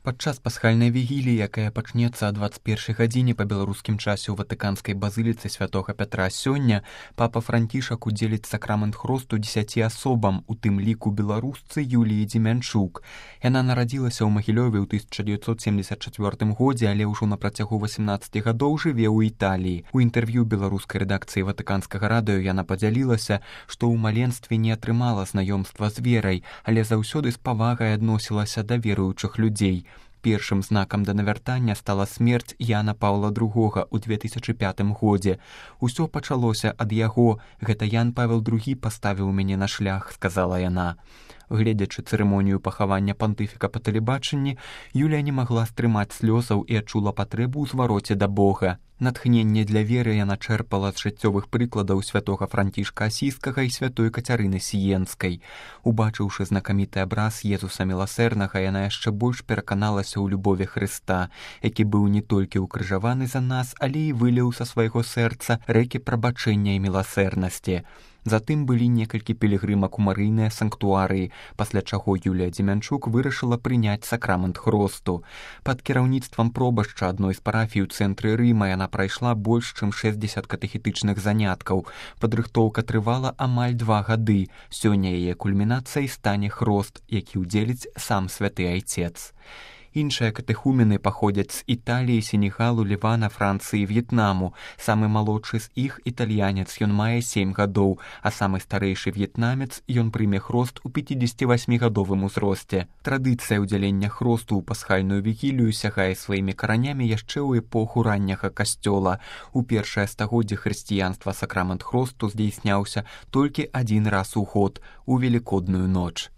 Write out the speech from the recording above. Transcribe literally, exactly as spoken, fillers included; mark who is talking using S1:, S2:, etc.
S1: Падчас пасхальнай вігіліі, якая пачнецца о двадцать першай гадзіне па беларускім часе ў ватыканскай базыліцы святога Пятра сёння, папа Францішак удзеліць сакрамент хросту дзесяці асобам, у тым ліку беларусцы Юліі Дземянчук. Яна нарадзілася ў Магілёве ў тысяча дзевяцьсот семьдесят чацвёртым годзе, але ўжо на працягу васямнаццаці гадоў жыве ў Італіі. У інтэрв'ю беларускай рэдакцыі ватыканскага радыё яна падзялілася, што ў маленстве не атрымала знаёмства з верай, але заўсёды з павагай адносілася да веруючых людзей. Першым знакам да навяртання стала смерць Яна Паўла другога ў две тысячы пятым годзе. Усё пачалося ад яго. Гэта Ян Павел другі паставіў мяне на шлях, сказала яна. Гледзячы цырымонію пахавання пантыфіка па тэлебачанні, Юлія не магла стрымаць слёзаў і адчула патрэбу ў звароце да Бога. Натхненне для веры яна чэрпала з жыццёвых прыкладаў святога Францішка Асійскага і святой Кацярыны Сіенскай. Убачыўшы знакаміты абраз Езуса Міласэрнага, яна яшчэ больш пераканалася ў любові Хрыста, які быў не толькі ўкрыжаваны за нас, але і выліў са свайго сэрца рэкі прабачэння і міласэрнасці. Затым былі некалькі пілігрымак у марыйныя санктуарыі, пасля чаго Юлія Дземянчук вырашыла прыняць сакрамент хросту. Пад кіраўніцтвам пробашча адной з парафій у цэнтры Рыма яна прайшла больш чым шэсцьдзесят катэхетычных заняткаў. Падрыхтоўка трывала амаль два гады. Сёння яе кульмінацыяй стане хрост, які ўдзеліць сам святы айцец. Іншыя катэхумены паходзяць з Італіі, Сенегалу, Лівана, Францыі, В'етнаму. Самы малодшы з іх італьянец, ён мае сем гадоў, а самы старэйшы в'етнамец, ён прыме хрост у пяцідзесяцівасьмігадовым узросце. Традыцыя ўдзялення хросту ў пасхальную вігілію сягае сваімі каранямі яшчэ ў эпоху ранняга касцёла. У першае стагоддзе хрысціянства сакрамент хросту здзейсняўся толькі адзін раз у год, у велікодную ноч.